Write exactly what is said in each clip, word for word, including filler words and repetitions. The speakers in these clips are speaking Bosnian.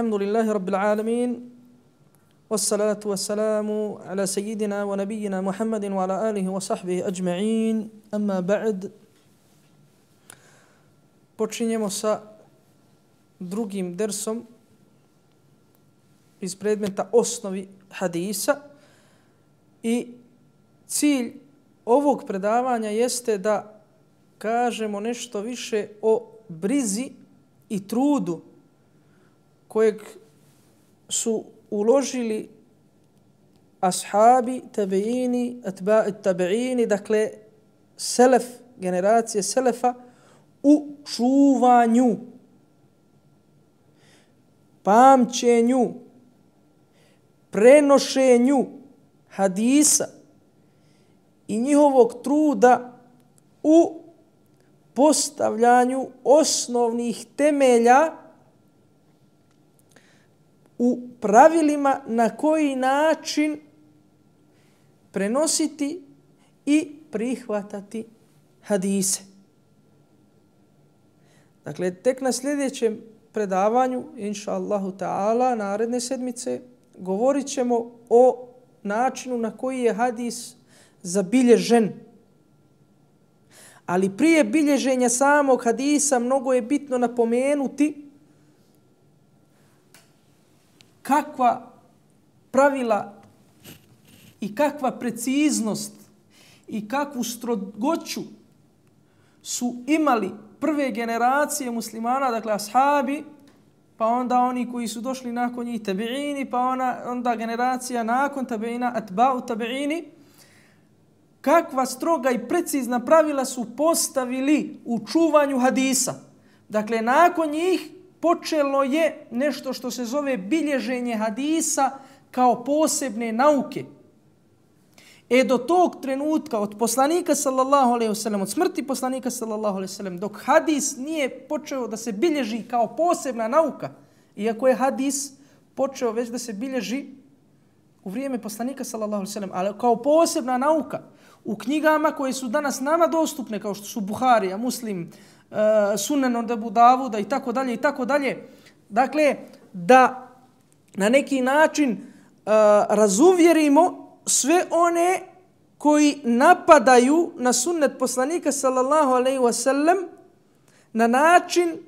الحمد لله رب العالمين والصلاة والسلام على سيدنا ونبينا محمد وعلى آله وصحبه أجمعين أما بعد. Počinjemo sa drugim dersom iz predmeta osnovi hadisa i cilj ovog predavanja jeste da kažemo nešto više o brizi i trudu kojeg su uložili ashabi, tabeini, atba'i tabeini, dakle selef, generacije selefa u čuvanju, pamćenju, prenošenju hadisa i njihovog truda u postavljanju osnovnih temelja u pravilima na koji način prenositi i prihvatati hadise. Dakle, tek na sljedećem predavanju, inša Allahu ta'ala, naredne sedmice, govorit ćemo o načinu na koji je hadis zabilježen. Ali prije bilježenja samog hadisa mnogo je bitno napomenuti kakva pravila i kakva preciznost i kakvu strogoću su imali prve generacije muslimana, dakle ashabi, pa onda oni koji su došli nakon njih tabiini, pa ona, onda generacija nakon tabiina, atba'u tabiini, kakva stroga i precizna pravila su postavili u čuvanju hadisa. Dakle, nakon njih počelo je nešto što se zove bilježenje hadisa kao posebne nauke. E do tog trenutka od poslanika sallallahu alejhi ve sellem, od smrti poslanika sallallahu alejhi ve sellem, dok hadis nije počeo da se bilježi kao posebna nauka, iako je hadis počeo već da se bilježi u vrijeme poslanika sallallahu alejhi ve sellem, ali kao posebna nauka u knjigama koje su danas nama dostupne, kao što su Buharija, Muslim, uh, Sunan od Abu Davuda i tako dalje i tako dalje. Dakle, da na neki način uh, razuvjerimo sve one koji napadaju na sunnet poslanika sallallahu alejhi ve sellem na način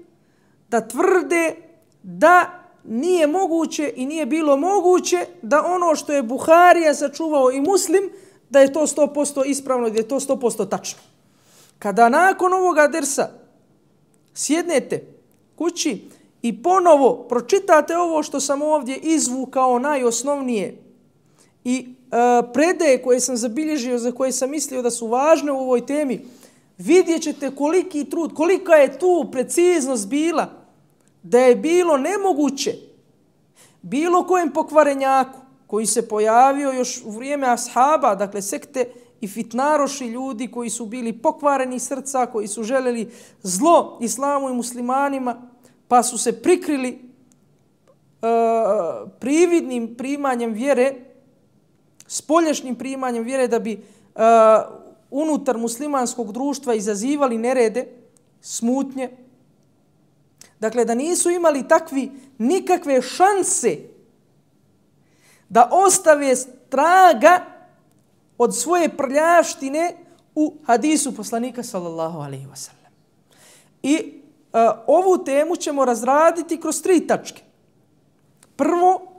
da tvrde da nije moguće i nije bilo moguće da ono što je Buharija sačuvao i Muslim, da je to sto posto ispravno i da je to sto posto tačno. Kada nakon ovoga dersa sjednete kući i ponovo pročitate ovo što sam ovdje izvukao najosnovnije i e, predaje koje sam zabilježio, za koje sam mislio da su važne u ovoj temi, vidjet ćete koliki trud, kolika je tu preciznost bila, da je bilo nemoguće bilo kojem pokvarenjaku koji se pojavio još u vrijeme ashaba, dakle sekte i fitnaroši, ljudi koji su bili pokvareni srca, koji su željeli zlo islamu i muslimanima, pa su se prikrili uh, prividnim primanjem vjere, spoljašnjim primanjem vjere, da bi uh, unutar muslimanskog društva izazivali nerede, smutnje. Dakle, da nisu imali takvi nikakve šanse da ostave traga od svoje prljavštine u hadisu poslanika sallallahu alejhi ve sellem. I uh, ovu temu ćemo razraditi kroz tri tačke. Prvo,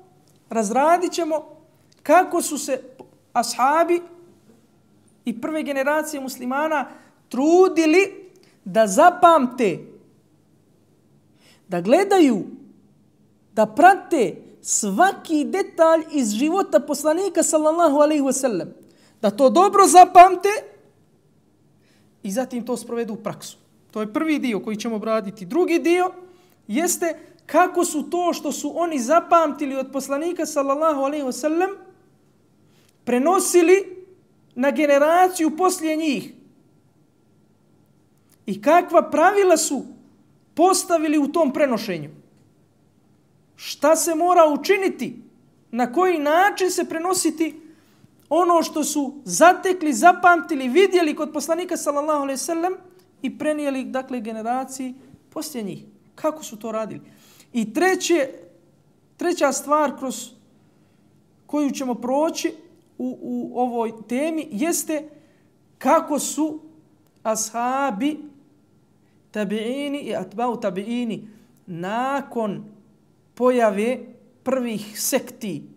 razradit ćemo kako su se ashabi i prve generacije muslimana trudili da zapamte, da gledaju, da prate svaki detalj iz života poslanika sallallahu alejhi ve sellem, da to dobro zapamte i zatim to sprovedu u praksu. To je prvi dio koji ćemo obraditi. Drugi dio jeste kako su to što su oni zapamtili od poslanika sallallahu alejhi ve sellem prenosili na generaciju poslije njih. I kakva pravila su postavili u tom prenošenju. Šta se mora učiniti, na koji način se prenositi ono što su zatekli, zapamtili, vidjeli kod poslanika sallallahu alejhi ve sellem i prenijeli, dakle, generaciji poslije njih. Kako su to radili? I treće, treća stvar kroz koju ćemo proći u, u ovoj temi jeste kako su ashabi, tabiini i atba'u tabiini nakon pojave prvih sekti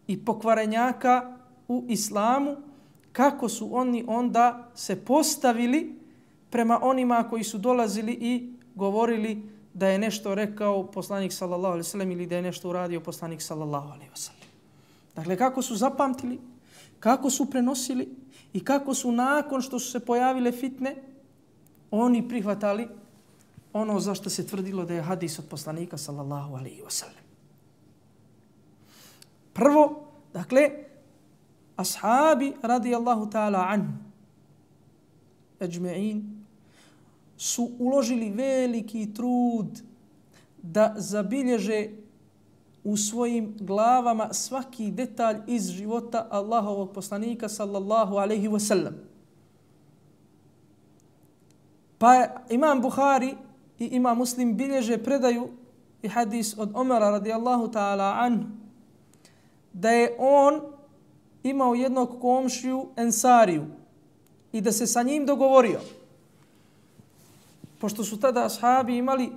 i pokvarenjaka u islamu, kako su oni onda se postavili prema onima koji su dolazili i govorili da je nešto rekao poslanik sallallahu alejhi ve sellem ili da je nešto uradio poslanik sallallahu alejhi ve sellem. Dakle, kako su zapamtili, kako su prenosili i kako su nakon što su se pojavile fitne, oni prihvatali ono za što se tvrdilo da je hadis od poslanika sallallahu alejhi ve sellem. Prvo, dakle, ashabi radijallahu ta'ala anhu ajma'in su uložili veliki trud da zabilježe u svojim glavama svaki detalj iz života Allahovog poslanika sallallahu alejhi ve sellem. Pa imam Buhari i imam Muslim bilježe predaju i hadis od Omara radijallahu ta'ala anhu da je on imao jednog komšiju Ensariju i da se sa njim dogovorio. Pošto su tada ashabi imali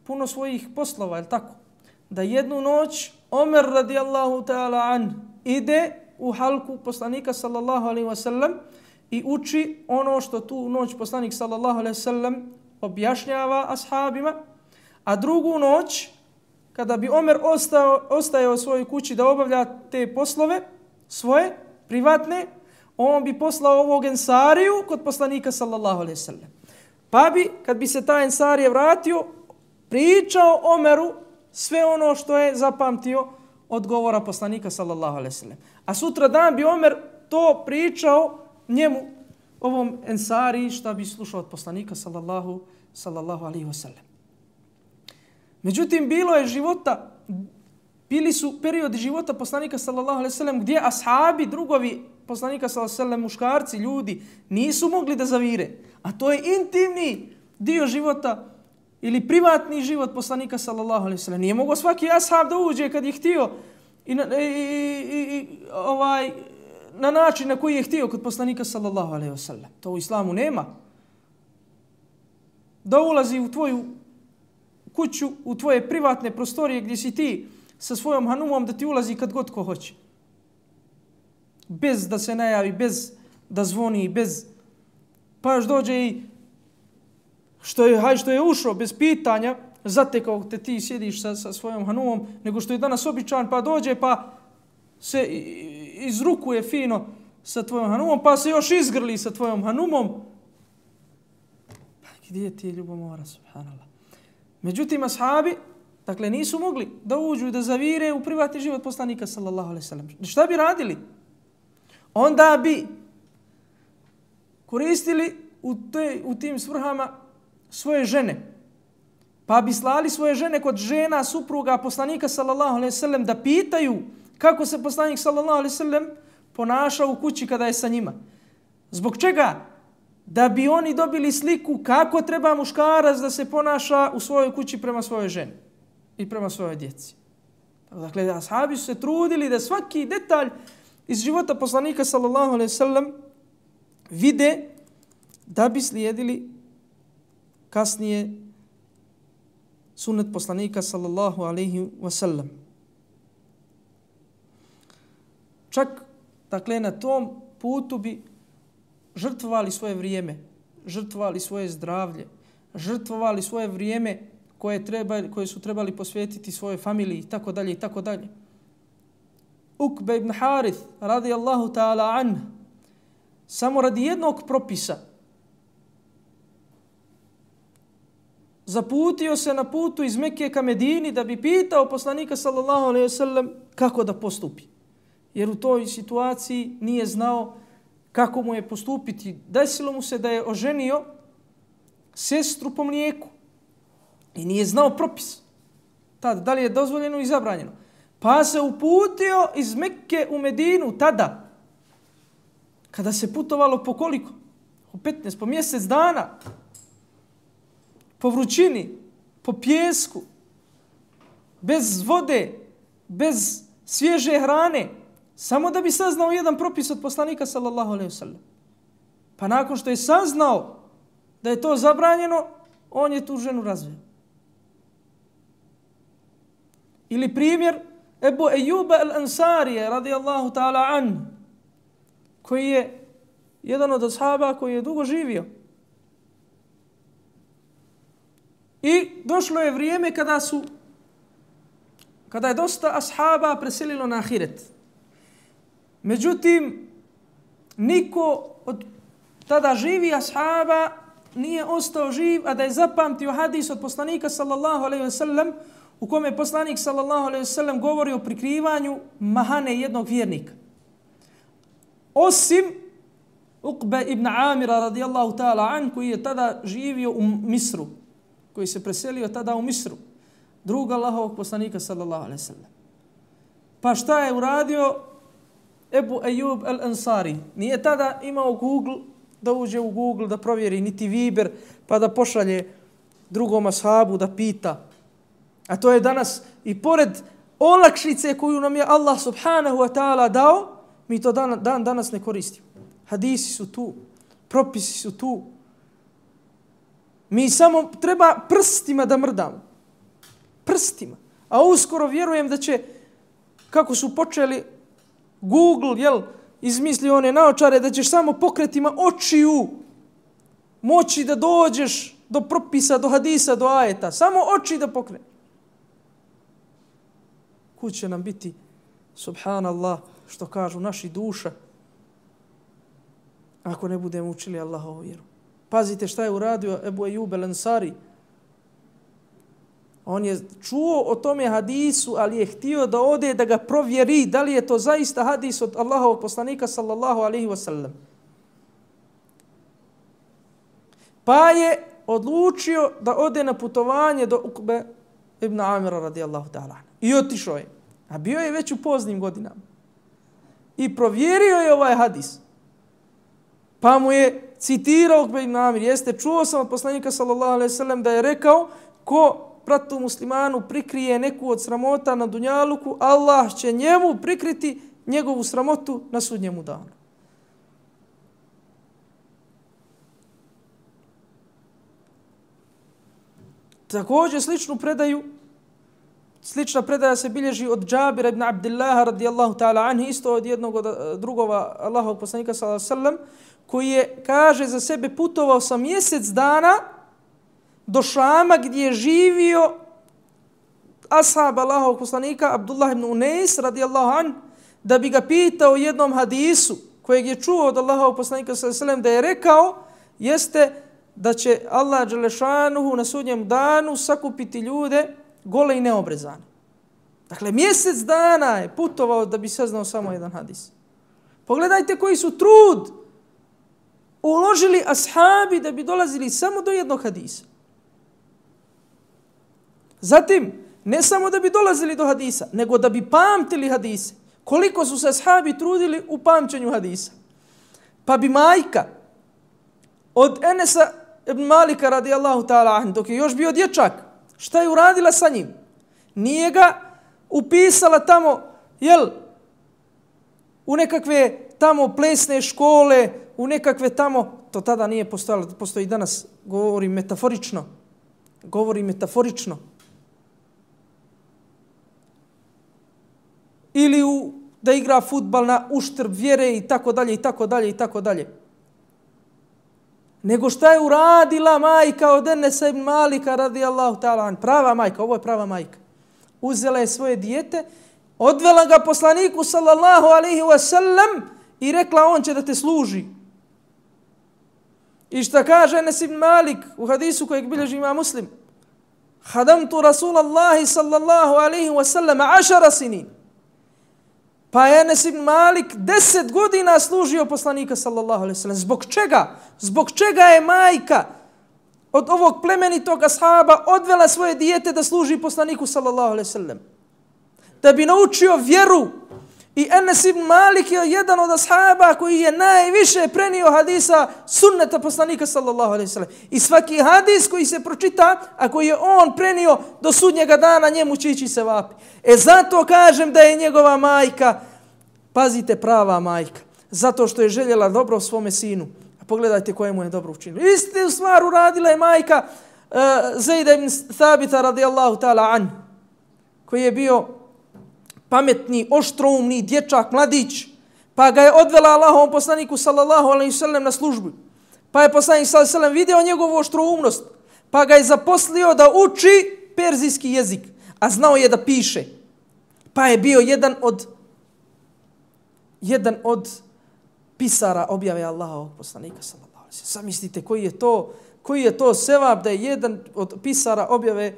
puno svojih poslova, je li tako? Da jednu noć Omer radijallahu ta'ala an ide u halku poslanika sallallahu alejhi ve sellem i uči ono što tu noć poslanik sallallahu alejhi ve sellem objašnjava ashabima, a drugu noć kada bi Omer ostao, ostajao u svojoj kući da obavlja te poslove svoje, privatne, on bi poslao ovog Ensariju kod poslanika sallallahu alejhi ve sellem. Pa bi, kad bi se taj Ensarije vratio, pričao Omeru sve ono što je zapamtio od govora poslanika sallallahu alejhi ve sellem. A sutra dan bi Omer to pričao njemu, ovom Ensariji, šta bi slušao od poslanika sallallahu, sallallahu alejhi ve sellem. Međutim, bilo je života, bili su periodi života poslanika sallallahu alejhi ve sellem gdje ashabi, drugovi poslanika sallallahu alejhi ve sellem, muškarci, ljudi, nisu mogli da zavire. A to je intimni dio života ili privatni život poslanika sallallahu alejhi ve sellem. Nije mogao svaki ashab da uđe kad je htio i, na, i, i, i ovaj, na način na koji je htio kod poslanika sallallahu alejhi ve sellem. To u islamu nema. Da ulazi u tvoju kuću, u tvoje privatne prostorije gdje si ti sa svojom hanumom, da ti ulazi kad god ko hoće. Bez da se najavi, bez da zvoni, bez... Pa još dođe i što je, haj što je ušao bez pitanja, zatekao te ti sjediš sa, sa svojom hanumom, nego što je danas običan, pa dođe pa se izrukuje fino sa tvojom hanumom, pa se još izgrli sa tvojom hanumom. Pa gdje ti je ljubomora, subhanallah. Međutim, ashabi, dakle, nisu mogli da uđu i da zavire u privatni život poslanika sallallahu alejhi ve sellem. Šta bi radili? Onda bi koristili u, te, u tim svrhama svoje žene. Pa bi slali svoje žene kod žena, supruga poslanika sallallahu alejhi ve sellem da pitaju kako se poslanik sallallahu alejhi ve sellem ponaša u kući kada je sa njima. Zbog čega? Da bi oni dobili sliku kako treba muškarac da se ponaša u svojoj kući prema svojoj ženi i prema svojoj djeci. Dakle, ashabi su se trudili da svaki detalj iz života poslanika sallallahu alejhi ve sellem vide da bi slijedili kasnije sunnet poslanika sallallahu alejhi ve sellem. Čak, dakle, na tom putu bi žrtvovali svoje vrijeme, žrtvovali svoje zdravlje, žrtvovali svoje vrijeme koje, treba, koje su trebali posvetiti svojoj familiji, i tako dalje, i tako dalje. Ukbe ibn Harith, radijallahu ta'ala anh, samo radi jednog propisa zaputio se na putu iz Mekke ka Medini da bi pitao poslanika sallallahu alejhi ve sellem kako da postupi. Jer u toj situaciji nije znao kako mu je postupiti. Desilo mu se da je oženio sestru po mlijeku i nije znao propis. Tada, da li je dozvoljeno i zabranjeno. Pa se uputio iz Mekke u Medinu tada, kada se putovalo po koliko? Po petnaest, po mjesec dana. Po vrućini, po pjesku, bez vode, bez svježe hrane, samo da bi saznao jedan propis od poslanika sallallahu alejhi ve sellem. Pa nakon što je saznao da je to zabranjeno, on je tu ženu razveo. Ili primjer Ebu Ejuba al-Ansarije radijallahu ta'ala an, koji je jedan od ashaba koji je dugo živio. I došlo je vrijeme kada su kada je dosta ashaba preselilo na ahiret. Međutim, niko od tada živi ashaba nije ostao živ, a da je zapamtio hadis od poslanika sallallahu alejhi ve sellem, u kome je poslanik sallallahu alejhi ve sellem govori o prikrivanju mahane jednog vjernika. Osim Uqbe ibn Amira radijallahu ta'ala an, koji je tada živio u Misru, koji se preselio tada u Misru, druga Allahovog poslanika sallallahu alejhi ve sellem. Pa šta je uradio Ebu Ejub al-Ansari? Nije tada imao Google, da uđe u Google da provjeri, niti Viber, pa da pošalje drugom ashabu da pita. A to je danas i pored olakšice koju nam je Allah subhanahu wa ta'ala dao, mi to dan, dan danas ne koristimo. Hadisi su tu, propisi su tu. Mi samo treba prstima da mrdamo. Prstima. A uskoro vjerujem da će, kako su počeli Google, jel, izmislio one naočare, da ćeš samo pokretima očiju moći da dođeš do propisa, do hadisa, do ajeta. Samo oči da pokre. Kud će nam biti, subhanallah, što kažu naši duša, ako ne budemo učili Allahovu vjeru. Pazite šta je uradio Ebu Ejub al-Ansari. On je čuo o tome hadisu, ali je htio da ode da ga provjeri da li je to zaista hadis od Allahovog poslanika sallallahu alejhi ve sellem. Pa je odlučio da ode na putovanje do Ukbe ibn Amira radijallahu ta'ala. I otišao je. A bio je već u poznim godinama. I provjerio je ovaj hadis. Pa mu je citirao Ukbe ibn Amir. Jeste, čuo sam od poslanika sallallahu alejhi ve sellem da je rekao, ko bratu muslimanu prikrije neku od sramota na dunjaluku, Allah će njemu prikriti njegovu sramotu na sudnjemu danu. Također sličnu predaju, slična predaja se bilježi od Džabira ibn Abdillaha radijallahu ta'ala anhi, isto od jednog od drugova Allahovog poslanika sallallahu alejhi ve sellem, koji je, kaže za sebe, putovao sam mjesec dana do Šama gdje je živio ashab Allahovog poslanika Abdullah ibn Unais radijallahu an, da bi ga pitao jednom hadisu kojeg je čuo od Allahovog poslanika sallallahu alejhi ve sellem, da je rekao, jeste da će Allah dželešanuhu na sudnjem danu sakupiti ljude gole i neobrezane. Dakle, mjesec dana je putovao da bi saznao samo jedan hadis. Pogledajte koji su trud uložili ashabi da bi dolazili samo do jednog hadisa. Zatim, ne samo da bi dolazili do hadisa, nego da bi pamtili hadise. Koliko su se ashabi trudili u pamćenju hadisa. Pa bi majka od Enesa ibn Malika radijallahu ta'ala an, dok je još bio dječak, šta je uradila sa njim? Nije ga upisala tamo, jel, u nekakve tamo plesne škole, u nekakve tamo, to tada nije postojalo, postoji danas, govorim metaforično, govorim metaforično. Ili u, da igra fudbal na uštrb vjere i tako dalje, i tako dalje, i tako dalje. Nego šta je uradila majka od Enesa ibn Malika radijallahu ta'ala an, prava majka, ovo je prava majka. Uzela je svoje dijete, odvela ga poslaniku sallallahu alejhi ve sellem i rekla, on će da te služi. I šta kaže Enes ibn Malik u hadisu kojeg bilježi ima Muslim? Hadamtu Rasulallahi sallallahu alejhi ve sellem ašara sinin. Pa je Enes ibn Malik deset godina služio poslanika sallallahu alejhi ve sellem. Zbog čega? Zbog čega je majka od ovog plemenitog ashaba odvela svoje dijete da služi poslaniku sallallahu alejhi ve sellem? Da bi naučio vjeru I Enes ibn Malik je jedan od ashaba koji je najviše prenio hadisa sunneta poslanika sallallahu alejhi ve sellem. I svaki hadis koji se pročita, a koji je on prenio do sudnjega dana, njemu će ići se vapi. E zato kažem da je njegova majka, pazite, prava majka, zato što je željela dobro svome sinu. A pogledajte koje mu je dobro učinilo. Istu stvar uradila je majka uh, Zejda ibn Thabita radijallahu ta'ala an, koji je bio pametni, oštroumni dječak, mladić, pa ga je odvela Allahovom poslaniku sallallahu alejhi ve sellem na službu. Pa je poslanik sallallahu alejhi ve sellem vidio njegovu oštroumnost, pa ga je zaposlio da uči perzijski jezik, a znao je da piše. Pa je bio jedan od jedan od pisara objave Allahovog poslanika sallallahu alejhi ve sellem. Zamislite koji je to, koji je to sevap da je jedan od pisara objave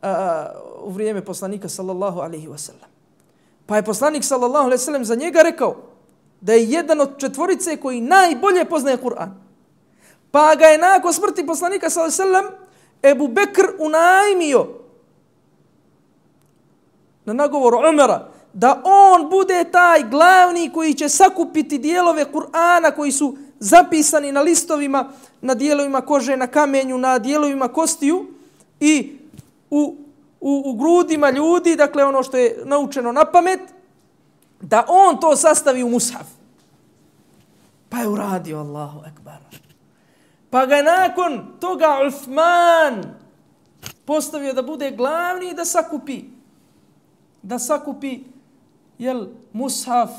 a, u vrijeme poslanika sallallahu alejhi ve sellem. Pa je poslanik sallallahu alejhi ve sellem za njega rekao da je jedan od četvorice koji najbolje poznaje Kur'an. Pa ga je nakon smrti poslanika sallallahu alejhi ve sellem Ebu Bekr unajmio na nagovor Umara da on bude taj glavni koji će sakupiti dijelove Kur'ana koji su zapisani na listovima, na dijelovima kože, na kamenju, na dijelovima kostiju i u U, u grudima ljudi, dakle ono što je naučeno na pamet, da on to sastavi u mushaf. Pa je uradio, Allahu ekbar. Pa ga nakon toga Uthman postavio da bude glavni i da sakupi. Da sakupi, jel, mushaf,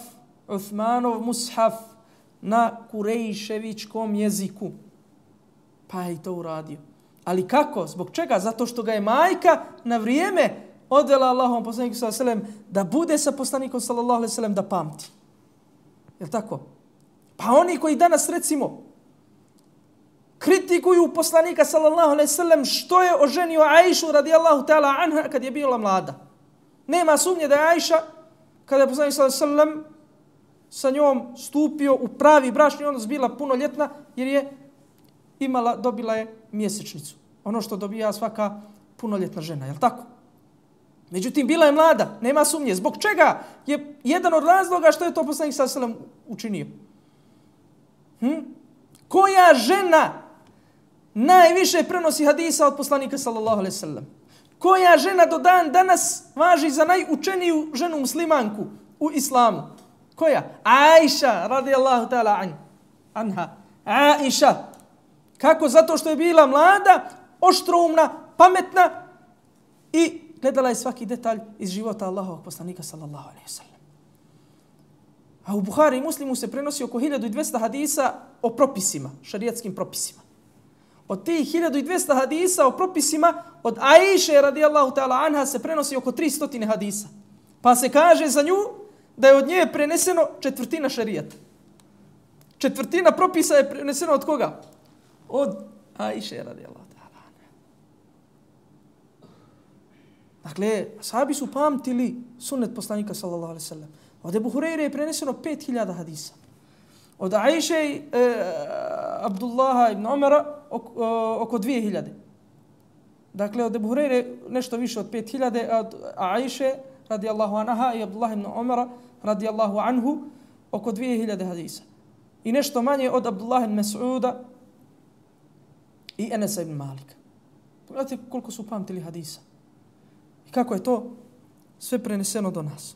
Uthmanov mushaf na kurejševičkom jeziku. Pa je i to uradio. Ali kako? Zbog čega? Zato što ga je majka na vrijeme odvela Allahom poslaniku sallallahu alejhi ve sellem da bude sa poslanikom sallallahu alejhi ve sellem da pamti. Je li tako? Pa oni koji danas recimo kritikuju poslanika sallallahu alejhi ve sellem što je oženio Aishu radijallahu ta'ala anha kad je bila mlada. Nema sumnje da je Aisha kada je poslanik sallallahu alejhi ve sellem sa njom stupio u pravi bračni odnos bila punoljetna jer je imala, dobila je mjesečnicu. Ono što dobija svaka punoljetna žena, je li tako? Međutim, bila je mlada, nema sumnje. Zbog čega je jedan od razloga što je to poslanik sallallahu alejhi ve sellem učinio? Hm? Koja žena najviše prenosi hadisa od poslanika sallallahu alejhi ve sellem? Koja žena do dan danas važi za najučeniju ženu muslimanku u islamu? Koja? Aisha radijallahu ta'ala anha. Aisha. Kako? Zato što je bila mlada, oštroumna, pametna i gledala je svaki detalj iz života Allahovog poslanika sallallahu alejhi ve sellem. A u Buhari i Muslimu se prenosi oko hiljadu dvjesto hadisa o propisima, šarijatskim propisima. Od tih hiljadu dvjesto hadisa o propisima od Aishe radijallahu ta'ala anha se prenosi oko tristo hadisa. Pa se kaže za nju da je od nje preneseno četvrtina šarijata. Četvrtina propisa je preneseno od koga? Od Aishe radijallahu ta'ala anha. Dakle, ashabi su pamtili sunnet poslanika sallallahu alejhi ve sellem. Od Ebu Hureyre je preneseno pet hiljada hadisa. Od Aishe i e, Abdullaha ibn Umara oko, oko dvije hiljade. Dakle, od Ebu Hureyre nešto više od pet hiljade, a od Aishe radijallahu anha i Abdullah ibn Umara radijallahu anhu oko dvije hiljade hadisa. I nešto manje od Abdullah ibn Mas'uda i Enesa ibn Malika. Pogledajte koliko su pamtili hadisa. I kako je to sve preneseno do nas.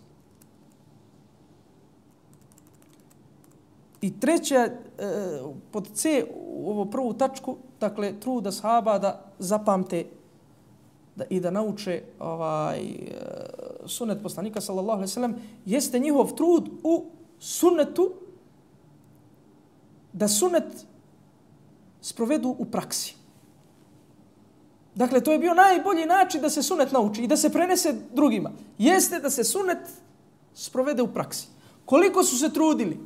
I treća, pod C, u ovu prvu tačku, dakle, trud ashaba da zapamte da, i da nauče ovaj, sunnet poslanika, sallallahu alejhi ve sellem, jeste njihov trud u sunnetu, da sunnet sprovedu u praksi. Dakle, to je bio najbolji način da se sunnet nauči i da se prenese drugima. Jeste da se sunnet sprovede u praksi. Koliko su se trudili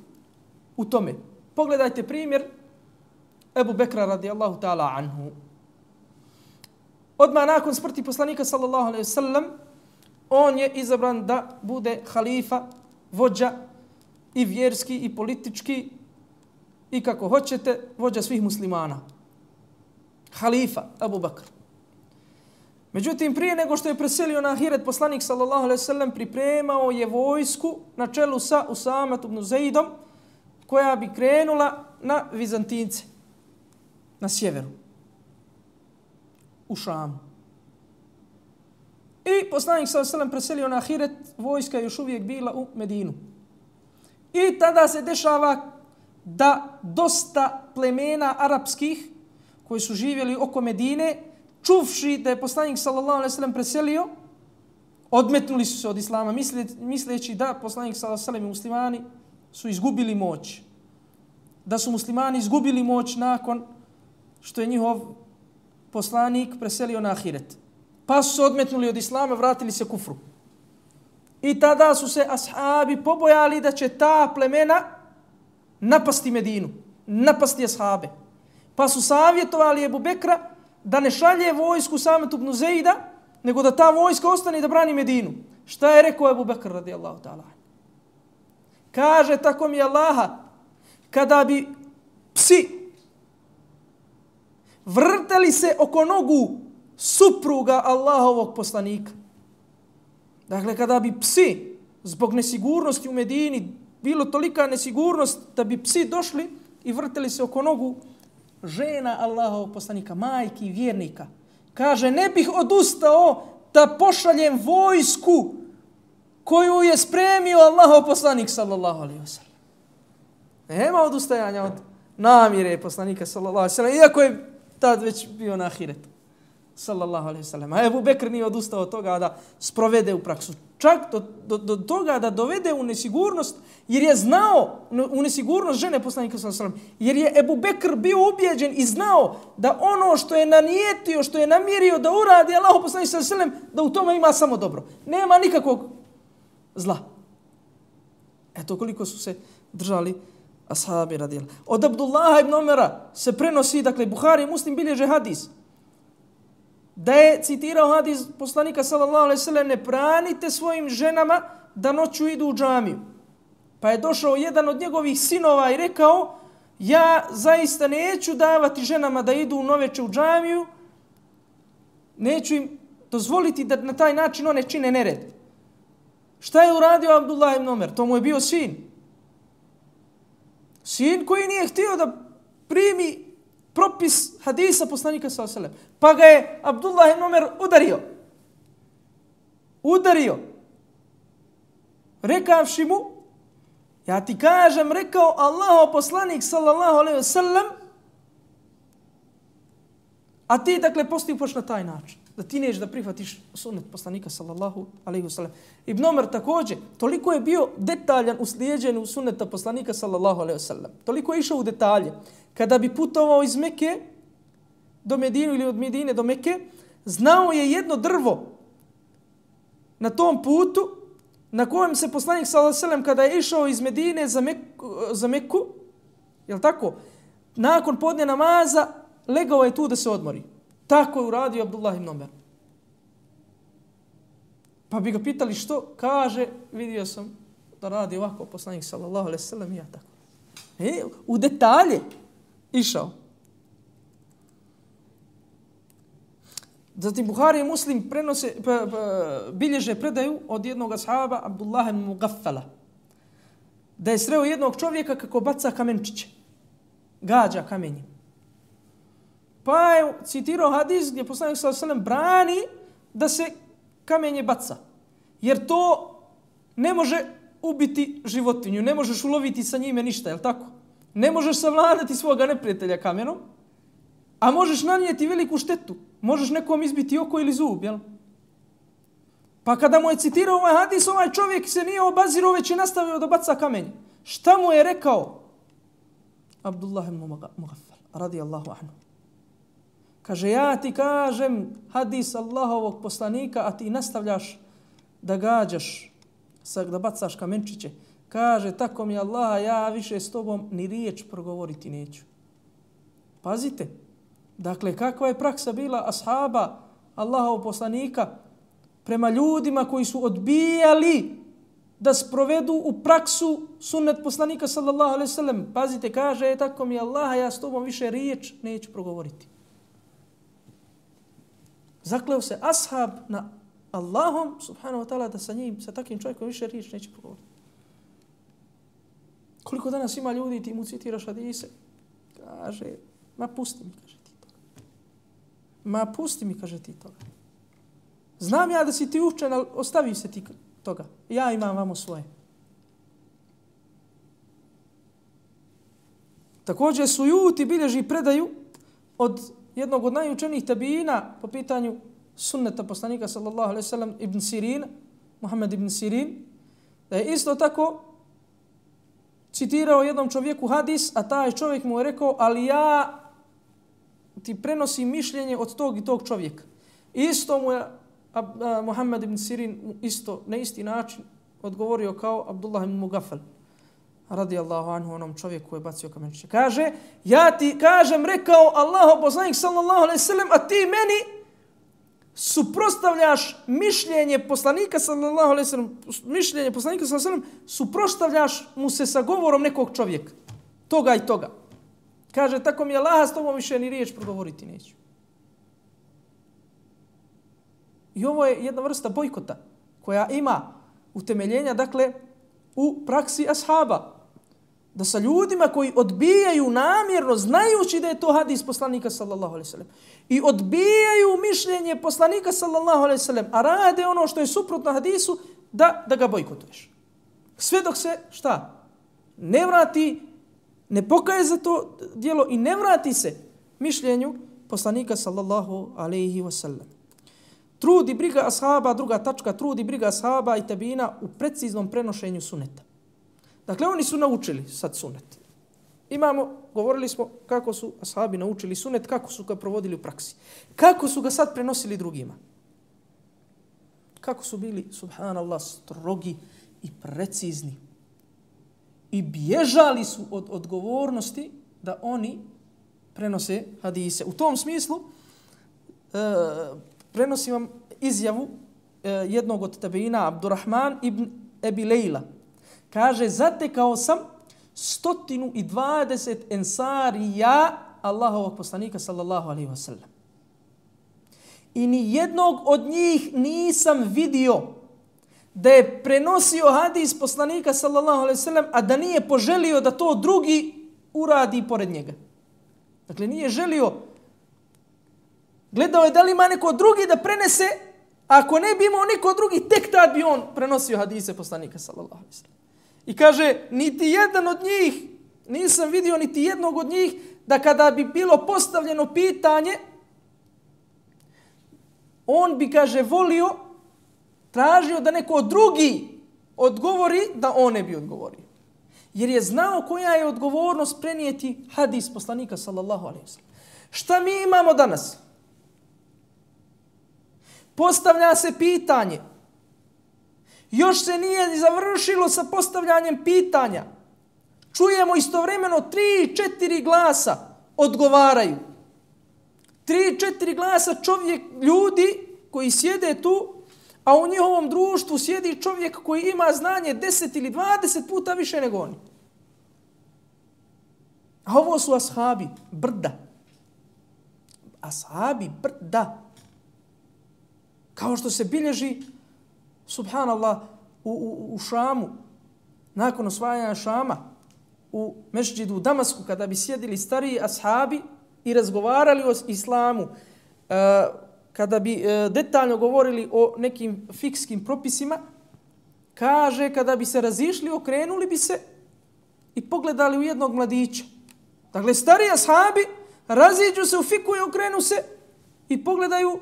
u tome? Pogledajte primjer Ebu Bekra radijallahu ta'ala anhu. Odmah nakon smrti poslanika sallallahu alejhi ve sellem on je izabran da bude halifa, vođa i vjerski i politički i kako hoćete, vođa svih muslimana. Halifa Ebu Bekr. Međutim, prije nego što je preselio na ahiret, poslanik sallallahu alejhi ve sellem pripremao je vojsku na čelu sa Usamom ibn Zaidom, koja bi krenula na Vizantince, na sjeveru, u Šamu. I poslanik sallallahu alejhi ve sellem preselio na ahiret, vojska je još uvijek bila u Medinu. I tada se dešava da dosta plemena arapskih koji su živjeli oko Medine, čuvši da je poslanik sallallahu alejhi ve sellem preselio, odmetnuli su se od islama, misleći da poslanik sallallahu alejhi ve sellem i muslimani su izgubili moć. Da su muslimani izgubili moć nakon što je njihov poslanik preselio na ahiret. Pa su se odmetnuli od islama, vratili se kufru. I tada su se ashabi pobojali da će ta plemena napasti Medinu, napasti ashabe. Pa su savjetovali Ebu Bekra da ne šalje vojsku Usame ibn Zaida, nego da ta vojska ostane da brani Medinu. Šta je rekao Ebu Bekr radijallahu ta'ala? Kaže, tako mi Allaha, kada bi psi vrteli se oko nogu supruga Allahovog poslanika. Dakle, kada bi psi zbog nesigurnosti u Medini, bilo tolika nesigurnost da bi psi došli i vrteli se oko nogu žena Allahovog poslanika, majki vjernika. Kaže, ne bih odustao da pošaljem vojsku koju je spremio Allahov poslanik sallallahu alejhi ve sellem. Nema odustajanja od namjere poslanika sallallahu alejhi ve sellem, iako je tad već bio na ahiretu sallallahu alejhi ve sellem. A Ebu Bekr nije odustao od toga da sprovede u praksu. Čak do, do, do toga da dovede u nesigurnost, jer je znao u nesigurnost žene poslanika sallallahu alejhi ve sellem, jer je Ebu Bekr bio ubijeđen i znao da ono što je nanijetio, što je namjerio da uradi Allahov poslanik sallallahu alejhi ve sellem, da u tome ima samo dobro. Nema nikakvog zla. Eto koliko su se držali ashabi radijallahu. Od Abdullaha ibn Omera se prenosi, dakle Buhari i Muslim bilježe hadis, da je citirao hadis poslanika sallallahu alejhi ve sellem, ne branite svojim ženama da noću idu u džamiju. Pa je došao jedan od njegovih sinova i rekao, ja zaista neću davati ženama da idu u noveče u džamiju, neću im dozvoliti da na taj način one čine nered. Šta je uradio Abdullah ibn Omer? To mu je bio sin. Sin koji nije htio da primi propis hadisa poslanika sallallahu alejhi ve sellem. Pa ga je Abdullah ibn Omer udario. Udario. Rekavši mu, ja ti kažem, rekao Allahov poslanik sallallahu alejhi ve sellem, a ti dakle postupaš na taj način, da ti nećeš da prihvatiš sunnet poslanika sallallahu alejhi ve sellem. Ibn Omer također, toliko je bio detaljan u slijeđenju sunneta poslanika sallallahu alejhi ve sellem. Toliko je išao u detalje. Kada bi putovao iz Mekke do Medine ili od Medine do Mekke, znao je jedno drvo na tom putu na kojem se poslanik sallallahu alejhi ve sellem kada je išao iz Medine za Mekku, za Mekku, jel tako? Nakon podne namaza legao je tu da se odmori. Tako je uradio Abdullah ibn Omer. Pa bi ga pitali što, kaže, vidio sam da radi ovako poslanik sallallahu alejhi ve sellem i ja tako. E, u detalje išao. Zatim Buhari i Muslim prenose, pa, pa, bilježe predaju od jednog ashaba Abdullah ibn Mugaffala, da je sreo jednog čovjeka kako baca kamenčiće, gađa kamenjem. Pa je citirao hadis gdje poslanik sallallahu alejhi ve sellem brani da se kamenje baca, jer to ne može ubiti životinju, ne možeš uloviti sa njime ništa, je li tako? Ne možeš savladati svoga neprijatelja kamenom, a možeš nanijeti veliku štetu. Možeš nekom izbiti oko ili zub, jel? Pa kada mu je citirao ovaj hadis, ovaj čovjek se nije obazirao, već je nastavio da baca kamenje. Šta mu je rekao? Abdullah ibn Mughaffal, radijallahu anhu. Kaže, ja ti kažem hadis Allahovog poslanika, a ti nastavljaš da gađaš, da bacaš kamenčiće. Kaže, tako mi Allah, ja više s tobom ni riječ progovoriti neću. Pazite, dakle, kakva je praksa bila ashaba Allahovog poslanika prema ljudima koji su odbijali da sprovedu u praksu sunnet poslanika sallallahu alejhi ve sellem. Pazite, kaže, tako mi Allah, ja s tobom više riječ neću progovoriti. Zakleo se ashab na Allahom, subhanahu wa ta'ala, da sa njim, sa takvim čovjekom više riječ neće progovoriti. Koliko danas ima ljudi, ti mu citiraš hadise, kaže, ma pusti mi, kaže ti toga. Ma pusti mi, kaže ti toga. Znam ja da si ti učen, ali ostavi se ti toga. Ja imam vamo svoje. Također Sujuti bilježi predaju od jednog od najučenijih tabiina po pitanju sunneta poslanika sallallahu alejhi ve sellem ibn Sirin, Muhammed ibn Sirin, da je isto tako citirao jednom čovjeku hadis, a taj čovjek mu je rekao, ali ja ti prenosim mišljenje od tog i tog čovjeka. Isto mu je Muhammed ibn Sirin isto na isti način odgovorio kao Abdullah ibn Mugafal, radijallahu anhu, onom čovjeku koji je bacio kamenčiće. Kaže, ja ti kažem, rekao Allahov poslanik sallallahu alejhi ve sellem, a ti meni suprotstavljaš mišljenje poslanika sallallahu alejhi ve sellem, mišljenje poslanika sallallahu alejhi ve sellem, suprotstavljaš mu se sa govorom nekog čovjeka, toga i toga. Kaže, tako mi je Allaha, s tobom više ni riječ progovoriti neću. I ovo je jedna vrsta bojkota koja ima utemeljenja, dakle, u praksi ashaba. Da sa ljudima koji odbijaju namjerno, znajući da je to hadis poslanika sallallahu alejhi ve sellem, i odbijaju mišljenje poslanika sallallahu alejhi ve sellem, a rade ono što je suprotno hadisu, da, da ga bojkotuješ. Sve dok se, šta? Ne vrati, ne pokaje za to djelo i ne vrati se mišljenju poslanika sallallahu alejhi ve sellem. Trudi briga ashaba, druga tačka, trudi briga ashaba i tabina u preciznom prenošenju suneta. Dakle, oni su naučili sad sunet. Imamo, govorili smo kako su ashabi naučili sunet, kako su ga provodili u praksi. Kako su ga sad prenosili drugima. Kako su bili, subhanallah, strogi i precizni. I bježali su od odgovornosti da oni prenose hadise. U tom smislu, e, prenosim vam izjavu e, jednog od tabeina, Abdurrahman ibn Ebi Lejla. Kaže, zatekao sam stotinu i dvadeset ensarija Allahovog poslanika sallallahu alejhi ve sellem. I ni jednog od njih nisam vidio da je prenosio hadis poslanika sallallahu alejhi ve sellem, a da nije poželio da to drugi uradi pored njega. Dakle, nije želio. Gledao je da li ima neko drugi da prenese, a ako ne bi imao niko drugi, tek tad bi on prenosio hadise poslanika sallallahu alejhi ve sellem. I kaže, niti jedan od njih, nisam vidio niti jednog od njih, da kada bi bilo postavljeno pitanje, on bi, kaže, volio, tražio da neko drugi odgovori, da on ne bi odgovorio. Jer je znao koja je odgovornost prenijeti hadis poslanika sallallahu alejhi ve sellem. Šta mi imamo danas? Postavlja se pitanje. Još se nije završilo sa postavljanjem pitanja. Čujemo istovremeno tri, četiri glasa odgovaraju. Tri, četiri glasa čovjek, ljudi koji sjede tu, a u njihovom društvu sjedi čovjek koji ima znanje deset ili dvadeset puta više nego oni. A ovo su ashabi, brda. Ashabi, brda. Kao što se bilježi, subhanallah, u, u, u Šamu, nakon osvajanja Šama, u mešđidu u Damasku, kada bi sjedili stariji ashabi i razgovarali o islamu, kada bi detaljno govorili o nekim fikskim propisima, kaže, kada bi se razišli, okrenuli bi se i pogledali u jednog mladića. Dakle, stariji ashabi raziđu se u fiku i okrenu se i pogledaju,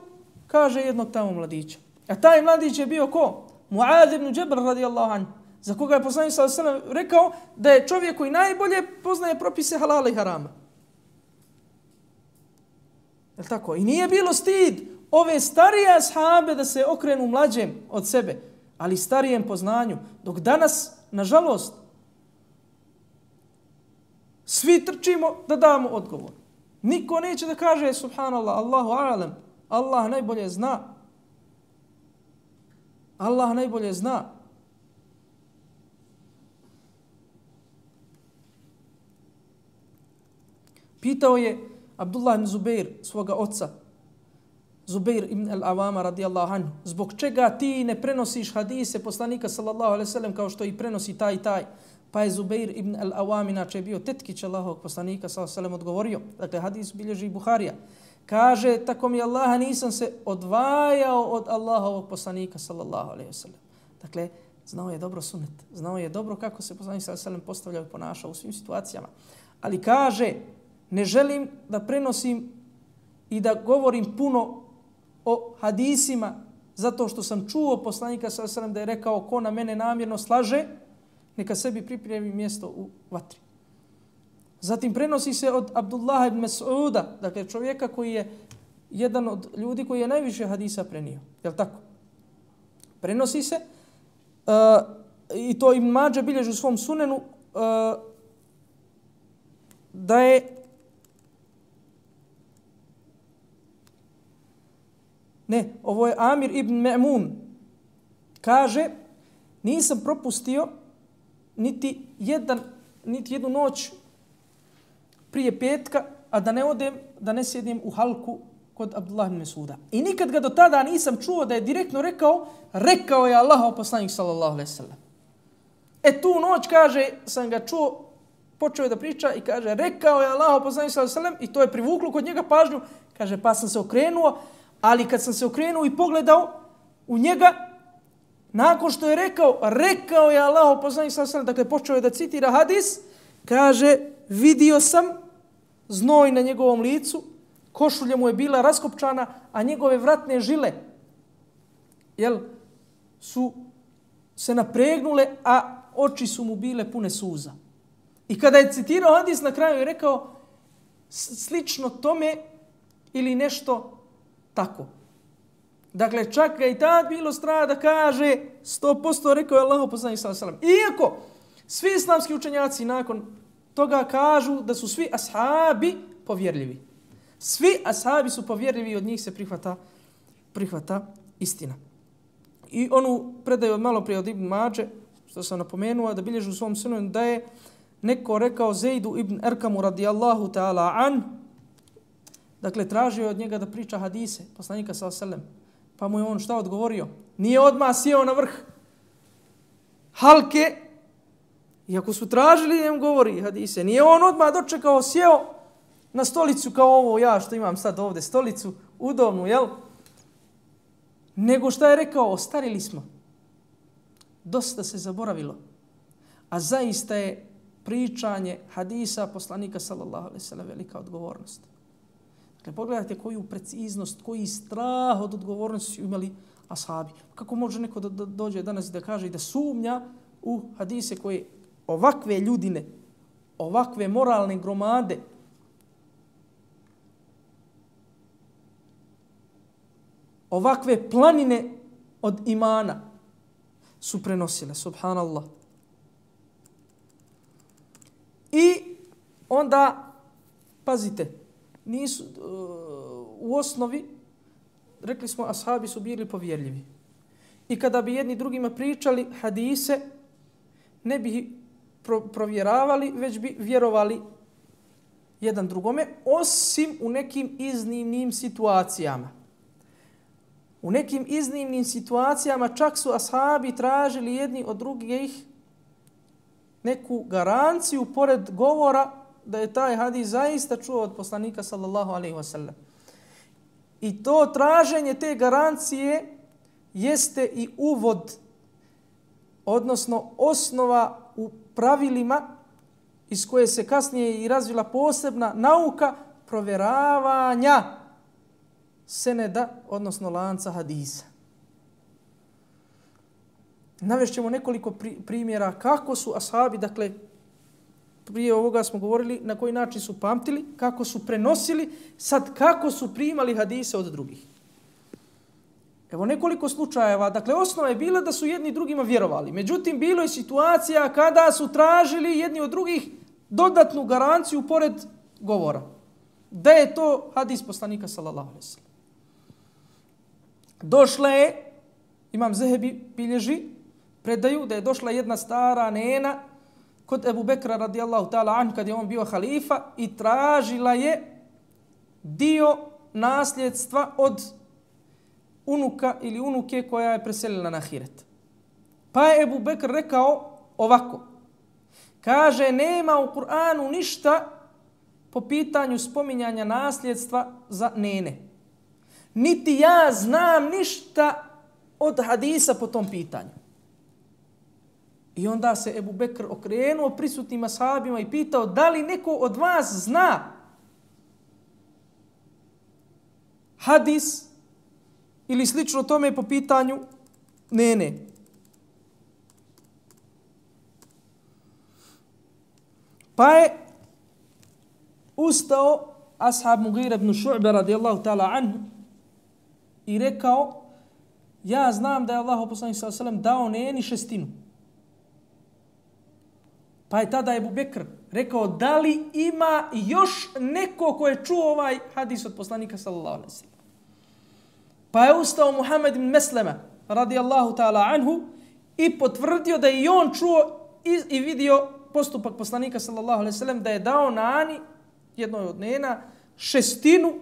kaže, jednog tamo mladića. A taj mladić je bio ko? Mu'adh ibn Jabal radijallahu anhu, za koga je poslanik sallallahu alejhi ve sellem rekao da je čovjek koji najbolje poznaje propise halala i harama. Je li tako? I nije bilo stid ove starije ashabe da se okrenu mlađem od sebe, ali starijem po znanju. Dok danas, nažalost, svi trčimo da damo odgovor. Niko neće da kaže, subhanallah, Allahu a'lam, Allah najbolje zna. Allah najbolje zna. Pitao je Abdullah ibn Zubair svoga oca, Zubair ibn al-Awama radijallahu anhu, zbog čega ti ne prenosiš hadise poslanika sallallahu alejhi ve sellem kao što i prenosi taj i taj? Pa je Zubair ibn al-Awam, inače je bio tetkić Allahovog poslanika sallallahu alejhi ve sellem, odgovorio, dakle hadis bilježi Buharija, kaže, tako mi Allaha nisam se odvajao od Allahovog poslanika sallallahu alejhi ve sellem. Dakle, znao je dobro sunnet, znao je dobro kako se poslanik sallallahu alejhi ve sellem postavljao i ponašao u svim situacijama. Ali kaže, ne želim da prenosim i da govorim puno o hadisima zato što sam čuo poslanika sallallahu alejhi ve sellem da je rekao ko na mene namjerno slaže, neka sebi pripremi mjesto u vatri. Zatim prenosi se od Abdullah ibn Mas'uda, dakle čovjeka koji je jedan od ljudi koji je najviše hadisa prenio. Je li tako? Prenosi se uh, i to Ibn Mađa bilježi u svom sunenu uh, da je ne, ovo je Amir ibn Ma'mun. Kaže, nisam propustio niti jedan, niti jednu noć prije petka, a da ne odem, da ne sjedim u halku kod Abdullah ibn Mas'uda. I nikad ga do tada nisam čuo da je direktno rekao, rekao je Allahov poslanik sallallahu alejhi ve sellem. E tu noć, kaže, sam ga čuo, počeo je da priča i kaže, rekao je Allahov poslanik sallallahu alejhi ve sellem, i to je privuklo kod njega pažnju, kaže, pa sam se okrenuo, ali kad sam se okrenuo i pogledao u njega, nakon što je rekao, rekao je Allahov poslanik sallallahu alejhi ve sellem, dakle počeo je da citira hadis, kaže, vidio sam znoj na njegovom licu, košulja mu je bila raskopčana, a njegove vratne žile jel, su se napregnule, a oči su mu bile pune suza. I kada je citirao hadis, na kraju je rekao slično tome ili nešto tako. Dakle, čak ga i tad bilo strah da kaže sto posto rekao je Allahov poslanik sallallahu alejhi ve sellem. Iako svi islamski učenjaci nakon toga kažu da su svi ashabi povjerljivi. Svi ashabi su povjerljivi i od njih se prihvata, prihvata istina. I onu predaju od malo prije od Ibn Mađe, što sam napomenuo, da bilježi u svom sunenu da je neko rekao Zejdu ibn Erkamu radijallahu ta'ala an, dakle tražio od njega da priča hadise, poslanika sallallahu alejhi ve sellem. Pa mu je on šta odgovorio? Nije odmah sjeo na vrh halke, iako su tražili da im govori hadise, nije on odmah dočekao, sjeo na stolicu kao ovo ja što imam sad ovdje, stolicu udobnu, jel? Nego šta je rekao? Ostarili smo. Dosta se zaboravilo. A zaista je pričanje hadisa poslanika sallallahu alejhi ve sellem velika odgovornost. Dakle, pogledajte koju preciznost, koji strah od odgovornosti su imali ashabi. Kako može neko da dođe danas da kaže i da sumnja u hadise koje ovakve ljudine, ovakve moralne gromade, ovakve planine od imana su prenosile, subhanallah. I onda, pazite, nisu, u osnovi, rekli smo, ashabi su bili povjerljivi. I kada bi jedni drugima pričali hadise, ne bi pro, provjeravali, već bi vjerovali jedan drugome, osim u nekim iznimnim situacijama. U nekim iznimnim situacijama čak su ashabi tražili jedni od drugih neku garanciju pored govora da je taj hadis zaista čuo od poslanika sallallahu alejhi ve sellem. I to traženje te garancije jeste i uvod, odnosno osnova u pravilima iz koje se kasnije i razvila posebna nauka provjeravanja seneda, odnosno lanca hadisa. Navešćemo nekoliko primjera kako su ashabi, dakle, prije ovoga smo govorili na koji način su pamtili, kako su prenosili, sad kako su primali hadise od drugih. Evo nekoliko slučajeva. Dakle, osnova je bila da su jedni drugima vjerovali. Međutim, bilo je situacija kada su tražili jedni od drugih dodatnu garanciju pored govora. Da je to hadis poslanika sallallahu alejhi ve sellem. Došla je, Imam Zehebi bilježi, predaju da je došla jedna stara nena kod Ebu Bekra radijallahu ta'ala anhu kad je on bio halifa i tražila je dio nasljedstva od unuka ili unuke koja je preselila na ahiret. Pa je Ebu Bekr rekao ovako. Kaže, nema u Kur'anu ništa po pitanju spominjanja nasljedstva za nene. Niti ja znam ništa od hadisa po tom pitanju. I onda se Ebu Bekr okrenuo prisutnim ashabima i pitao da li neko od vas zna hadis ili slično tome po pitanju nene. Pa je ustao ashab Mughira ibn Šu'be radijallahu ta'ala anhu i rekao, ja znam da je Allah poslanik sallallahu alejhi ve sellem dao neni šestinu. Pa je tada Ebu Bekr rekao, da li ima još neko ko je čuo ovaj hadis od poslanika sallallahu alejhi ve sellem. Pa je ustao Muhammed ibn Meslema radijallahu ta'ala anhu i potvrdio da je i on čuo i, i vidio postupak poslanika sallallahu alejhi ve sellem da je dao Ani, jednoj od nena, šestinu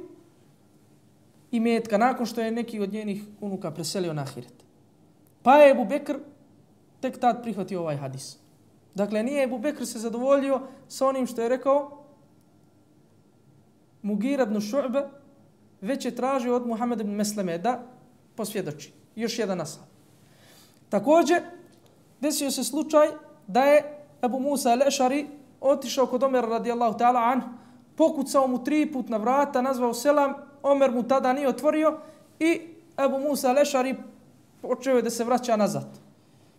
imetka nakon što je neki od njenih unuka preselio na ahiret. Pa je Ebu Bekr tek tad prihvatio ovaj hadis. Dakle, nije Ebu Bekr se zadovoljio sa onim što je rekao Mughira ibn Šu'be, već je tražio od Muhammed ibn Mesleme da posvjedoči. Još jedan ashab. Također, desio se slučaj da je Ebu Musa al-Ešari otišao kod Omera radijallahu ta'ala anhu, pokucao mu tri put na vrata, nazvao selam, Omer mu tada nije otvorio i Ebu Musa al-Ešari počeo je da se vraća nazad.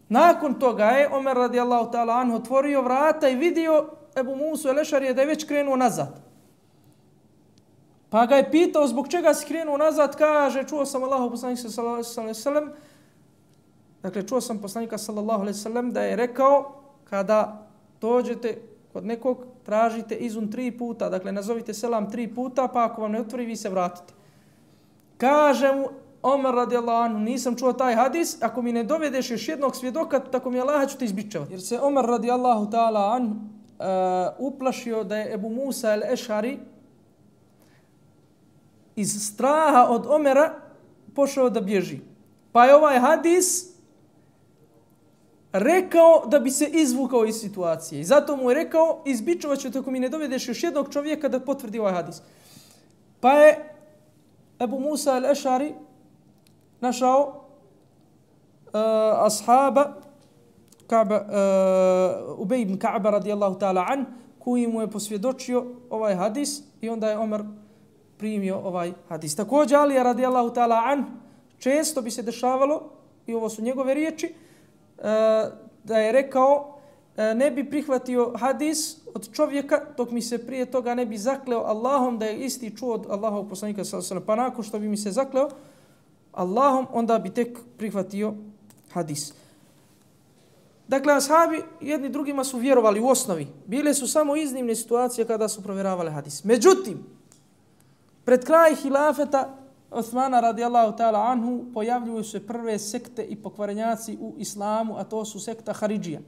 Nakon toga je Omer radijallahu ta'ala anhu otvorio vrata i vidio Ebu Musa al-Ešari da je već krenuo nazad. Pa ga je pitao zbog čega si krenuo nazad, kaže, čuo sam Allahu poslanika sallallahu alejhi ve sellem, dakle čuo sam poslanika sallallahu alejhi ve sellem da je rekao kada dođete kod nekog, tražite izun tri puta, dakle nazovite selam tri puta, pa ako vam ne otvori, vi se vratite. Kaže mu Omer radijallahu anhu, nisam čuo taj hadis, ako mi ne dovedeš još jednog svjedoka, tako mi Allah ću te izbičevati. Jer se Omer radijallahu ta'ala anhu uh, uplašio da je Ebu Musa al-Ešari iz straha od Omera pošao da bježi. Pa je ovaj hadis rekao da bi se izvukao iz situacije. I zato mu je rekao, izbičovat ću te ako mi ne dovedeš još jednog čovjeka da potvrdi ovaj hadis. Pa je Ebu Musa al-Ešari našao uh, ashaba Ka'ba, uh, Ubej ibn Ka'ba radijallahu ta'ala an, koji mu je posvjedočio ovaj hadis i onda je Omer primio ovaj hadis. Također Alija radijallahu ta'ala an, često bi se dešavalo, i ovo su njegove riječi, da je rekao ne bi prihvatio hadis od čovjeka dok mi se prije toga ne bi zakleo Allahom da je isti čuo od Allahovog poslanika sallallahu alejhi ve sellem. Pa nakon što bi mi se zakleo Allahom, onda bi tek prihvatio hadis. Dakle, ashabi jedni drugima su vjerovali u osnovi. Bile su samo iznimne situacije kada su provjeravali hadis. Međutim, pred kraj hilafeta Osmana radijallahu ta'ala anhu pojavljuju se prve sekte i pokvarenjaci u islamu, a to su sekta Haridžija.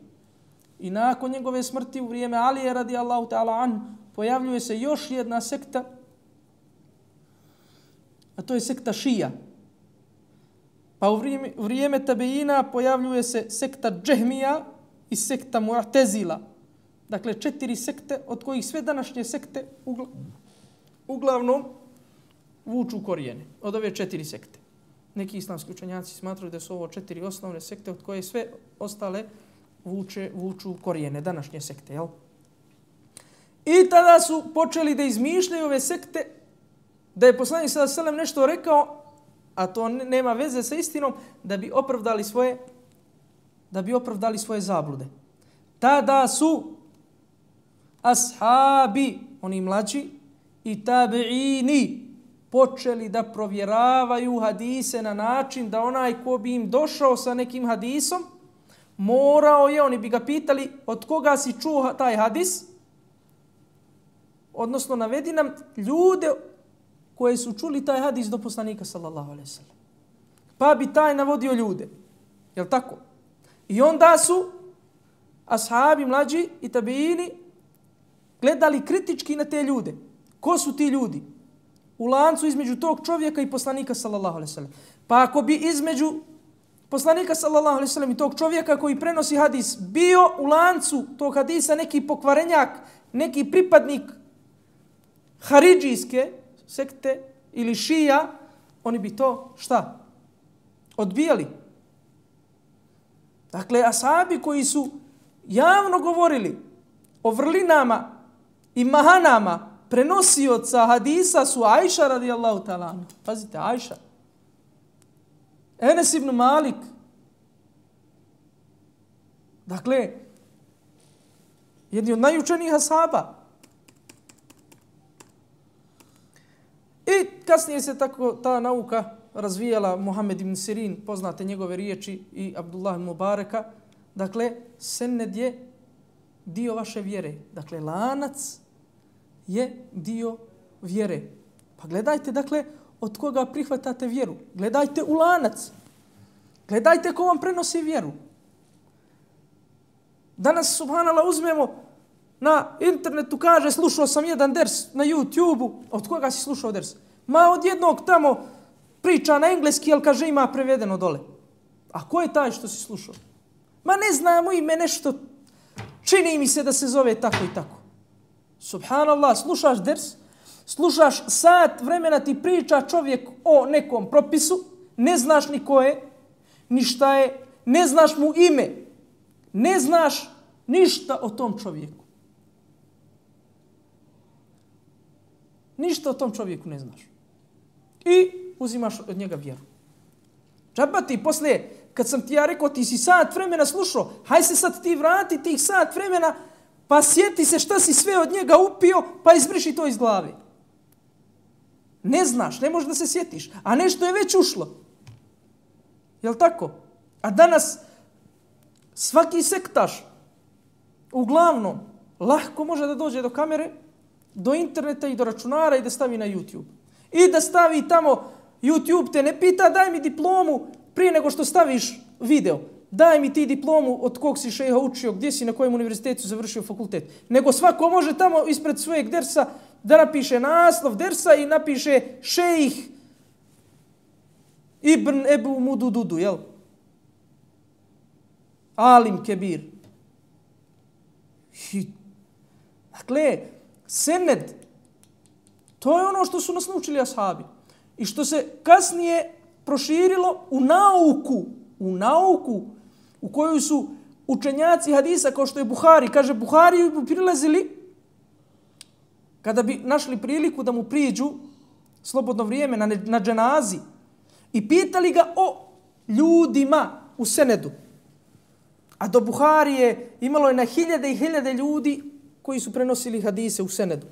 I nakon njegove smrti u vrijeme Alije radijallahu ta'ala anhu pojavljuje se još jedna sekta, a to je sekta Šija. Pa u vrijeme, u vrijeme Tabeina pojavljuje se sekta Džehmija i sekta Mu'tezila. Dakle, četiri sekte od kojih sve današnje sekte ugla, uglavnom vuču korijene od ove četiri sekte. Neki islamski učenjaci smatraju da su ovo četiri osnovne sekte od koje sve ostale vuče, vuču korijene, današnje sekte. Jel? I tada su počeli da izmišljaju ove sekte, da je poslanik sallallahu alejhi ve sellem nešto rekao, a to nema veze sa istinom, da bi opravdali svoje, da bi opravdali svoje zablude. Tada su ashabi, oni mlađi, i tabiini, počeli da provjeravaju hadise na način da onaj ko bi im došao sa nekim hadisom, morao je, oni bi ga pitali od koga si čuo taj hadis, odnosno navedi nam ljude koji su čuli taj hadis do poslanika sallallahu alejhi ve sellem. Pa bi taj navodio ljude. Jel tako? I onda su ashabi mlađi i tabiini gledali kritički na te ljude. Ko su ti ljudi? U lancu između tog čovjeka i poslanika sallallahu alejhi ve sellem. Pa ako bi između poslanika sallallahu alejhi ve sellem i tog čovjeka koji prenosi hadis bio u lancu tog hadisa neki pokvarenjak, neki pripadnik haridžijske sekte ili šija, oni bi to šta? Odbijali. Dakle, ashabi koji su javno govorili o vrlinama i mahanama prenosioca hadisa su Ajša radijallahu ta'ala. Pazite, Ajša. Enes ibn Malik. Dakle, jedni od najučenijih ashaba. I kasnije se tako ta nauka razvijala. Muhammed ibn Sirin, poznate njegove riječi, i Abdullah ibn Mubareka. Dakle, sened je dio vaše vjere. Dakle, lanac je dio vjere. Pa gledajte, dakle, od koga prihvatate vjeru. Gledajte u lanac. Gledajte ko vam prenosi vjeru. Danas, subhanallah, uzmemo na internetu, kaže, slušao sam jedan ders na YouTubeu. Od koga si slušao ders? Ma od jednog tamo priča na engleski, ali kaže ima prevedeno dole. A ko je taj što si slušao? Ma ne znamo ime, nešto čini mi se da se zove tako i tako. Subhanallah, slušaš ders, slušaš sat vremena ti priča čovjek o nekom propisu, ne znaš ni ko je, ni šta je, ne znaš mu ime, ne znaš ništa o tom čovjeku. Ništa o tom čovjeku ne znaš. I uzimaš od njega vjeru. Džaba ti poslije, kad sam ti ja rekao, ti si sat vremena slušao, haj se sad ti vrati tih sat vremena, pa sjeti se šta si sve od njega upio, pa izbriši to iz glave. Ne znaš, ne možeš da se sjetiš, a nešto je već ušlo. Jel' tako? A danas svaki sektaš, uglavnom, lahko može da dođe do kamere, do interneta i do računara i da stavi na YouTube. I da stavi tamo, YouTube te ne pita, daj mi diplomu prije nego što staviš video. Daj mi ti diplomu od kog si šejha učio, gdje si, na kojem univerzitetu završio fakultet. Nego svako može tamo ispred svojeg dersa da napiše naslov dersa i napiše šejh Ibn Ebu Mudududu, jel? Alim Kebir. I, dakle, sened, to je ono što su nas naučili ashabi. I što se kasnije proširilo u nauku, u nauku u kojoj su učenjaci hadisa, kao što je Buhari, kaže Buhari bi prilazili kada bi našli priliku da mu priđu slobodno vrijeme na, na dženazi i pitali ga o ljudima u senedu. A do Buharije imalo je na hiljade i hiljade ljudi koji su prenosili hadise u senedu.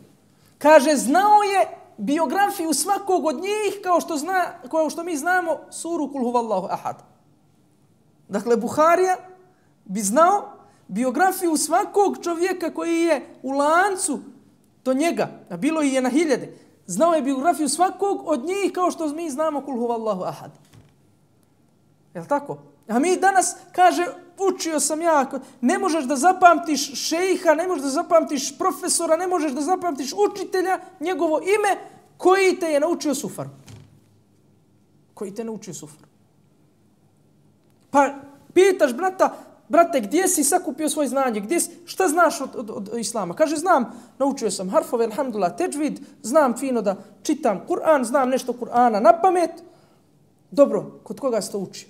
Kaže, znao je biografiju svakog od njih kao što, zna, kao što mi znamo suru Kul huvallahu ahad. Dakle, Buharija bi znao biografiju svakog čovjeka koji je u lancu do njega, a bilo je na hiljade. Znao je biografiju svakog od njih kao što mi znamo Kul huvallahu ahad. Jel' tako? A mi danas, kaže, učio sam ja, ne možeš da zapamtiš šejha, ne možeš da zapamtiš profesora, ne možeš da zapamtiš učitelja, njegovo ime, koji te je naučio sufar. Koji te je naučio sufar. Pa pitaš brata, brate, gdje si sakupio svoje znanje? Gdje si, šta znaš od, od, od islama? Kaže, znam, naučio sam harfove, alhamdulillah, teđvid, znam fino da čitam Kur'an, znam nešto Kur'ana na pamet. Dobro, kod koga si to učio?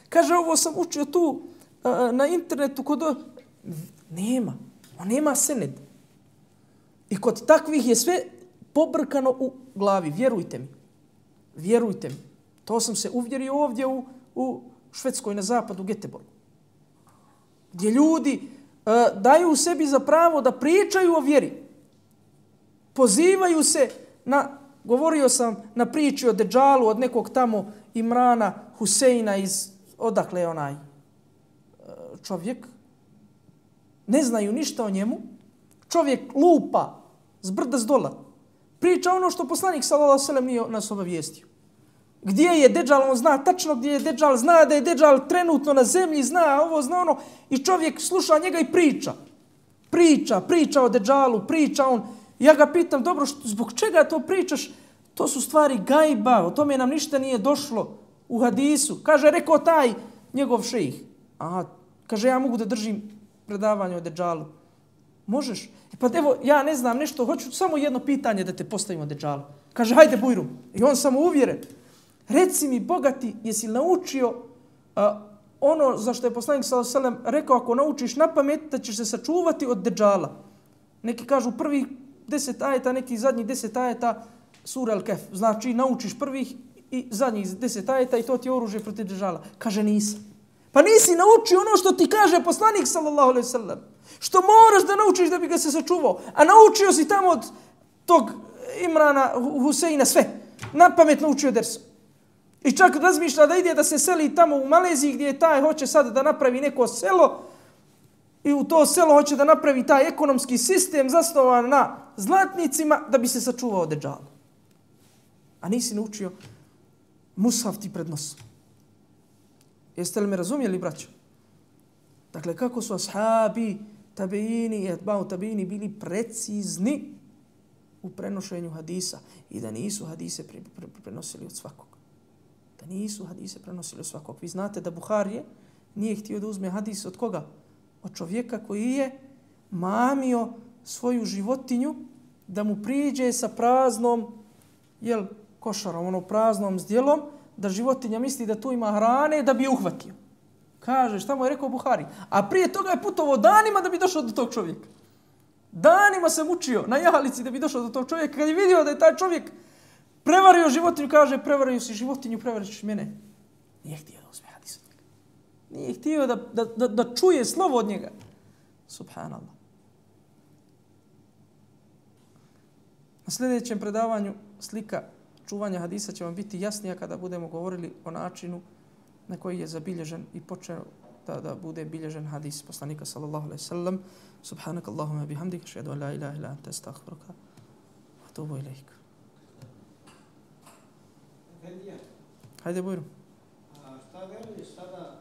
Kaže, ovo sam učio tu uh, na internetu kod... Nema. On nema sened. I kod takvih je sve pobrkano u glavi. Vjerujte mi. Vjerujte mi. To sam se uvjerio ovdje u, u Švedskoj na zapadu, u Göteborgu. Gdje ljudi uh, daju sebi za pravo da pričaju o vjeri. Pozivaju se na... Govorio sam na priči o Deđalu, od nekog tamo Imrana Huseina iz... Odakle je onaj čovjek? Ne znaju ništa o njemu. Čovjek lupa s brda s dola. Priča ono što poslanik sallallahu alejhi ve sellem nije nas obavijestio. Gdje je Deđal, on zna tačno gdje je Deđal, zna da je Deđal trenutno na zemlji, zna ovo, zna ono. I čovjek sluša njega i priča. Priča, priča o Deđalu, priča on. Ja ga pitam, dobro, što, zbog čega to pričaš? To su stvari gajba, o tome nam ništa nije došlo u hadisu. Kaže, rekao taj njegov šejih. Aha, kaže, ja mogu da držim predavanje o Dejjalu. Možeš? E pa evo, ja ne znam nešto, hoću samo jedno pitanje da te postavimo o Dejjalu. Kaže, hajde Bujrum. I on samo uvjeren. Reci mi, bogati, jesi naučio uh, ono za što je poslanik sallallahu alejhi ve sellem rekao, ako naučiš na pamet, da ćeš se sačuvati od Dejjala. Neki kažu prvih deset ajeta, neki zadnjih deset ajeta sura Al-Kahf. Znači, naučiš prvih i zadnjih deset ajeta i to ti je oružje protiv Dejjala. Kaže, nisam. Pa nisi naučio ono što ti kaže poslanik sallallahu alejhi ve sellem. Što moraš da naučiš da bi ga se sačuvao. A naučio si tamo od tog Imrana Huseina sve. Na pamet naučio ders. I čak razmišlja da ide da se seli tamo u Maleziji gdje je taj hoće sad da napravi neko selo i u to selo hoće da napravi taj ekonomski sistem zasnovan na zlatnicima da bi se sačuvao od Dejjala. A nisi naučio mushaf ti pred nosom. Jeste li me razumjeli, braćo? Dakle, kako su ashabi, tabeini i atba'u tabeini bili precizni u prenošenju hadisa i da nisu hadise pre, pre, pre, prenosili od svakog. Da nisu hadise prenosili od svakog. Vi znate da Buharije nije htio da uzme hadis od koga? Od čovjeka koji je mamio svoju životinju da mu priđe sa praznom, jel, košarom, ono praznom zdjelom, da životinja misli da tu ima hrane da bi je uhvatio. Kaže, šta mu je rekao Buhari? A prije toga je putovao danima da bi došao do tog čovjeka. Danima se mučio na jahalici da bi došao do tog čovjeka. Kad je vidio da je taj čovjek prevario životinju, kaže, prevario si životinju, prevariš mene. Nije htio da uzme hadis od njega. Nije htio da, da, da, da čuje slovo od njega. Subhanallah. Na sljedećem predavanju slika čuvanja hadisa će vam biti jasnija kada budemo govorili o načinu na koji je zabilježen i počeo da, da bude bilježen hadis poslanika sallallahu alejhi ve sellem. Subhanak Allahumma bihamdika, ašhadu an la ilaha illa anta, astaghfiruka wa atubu ilaik. Hajde, Bujro. A šta veliš sada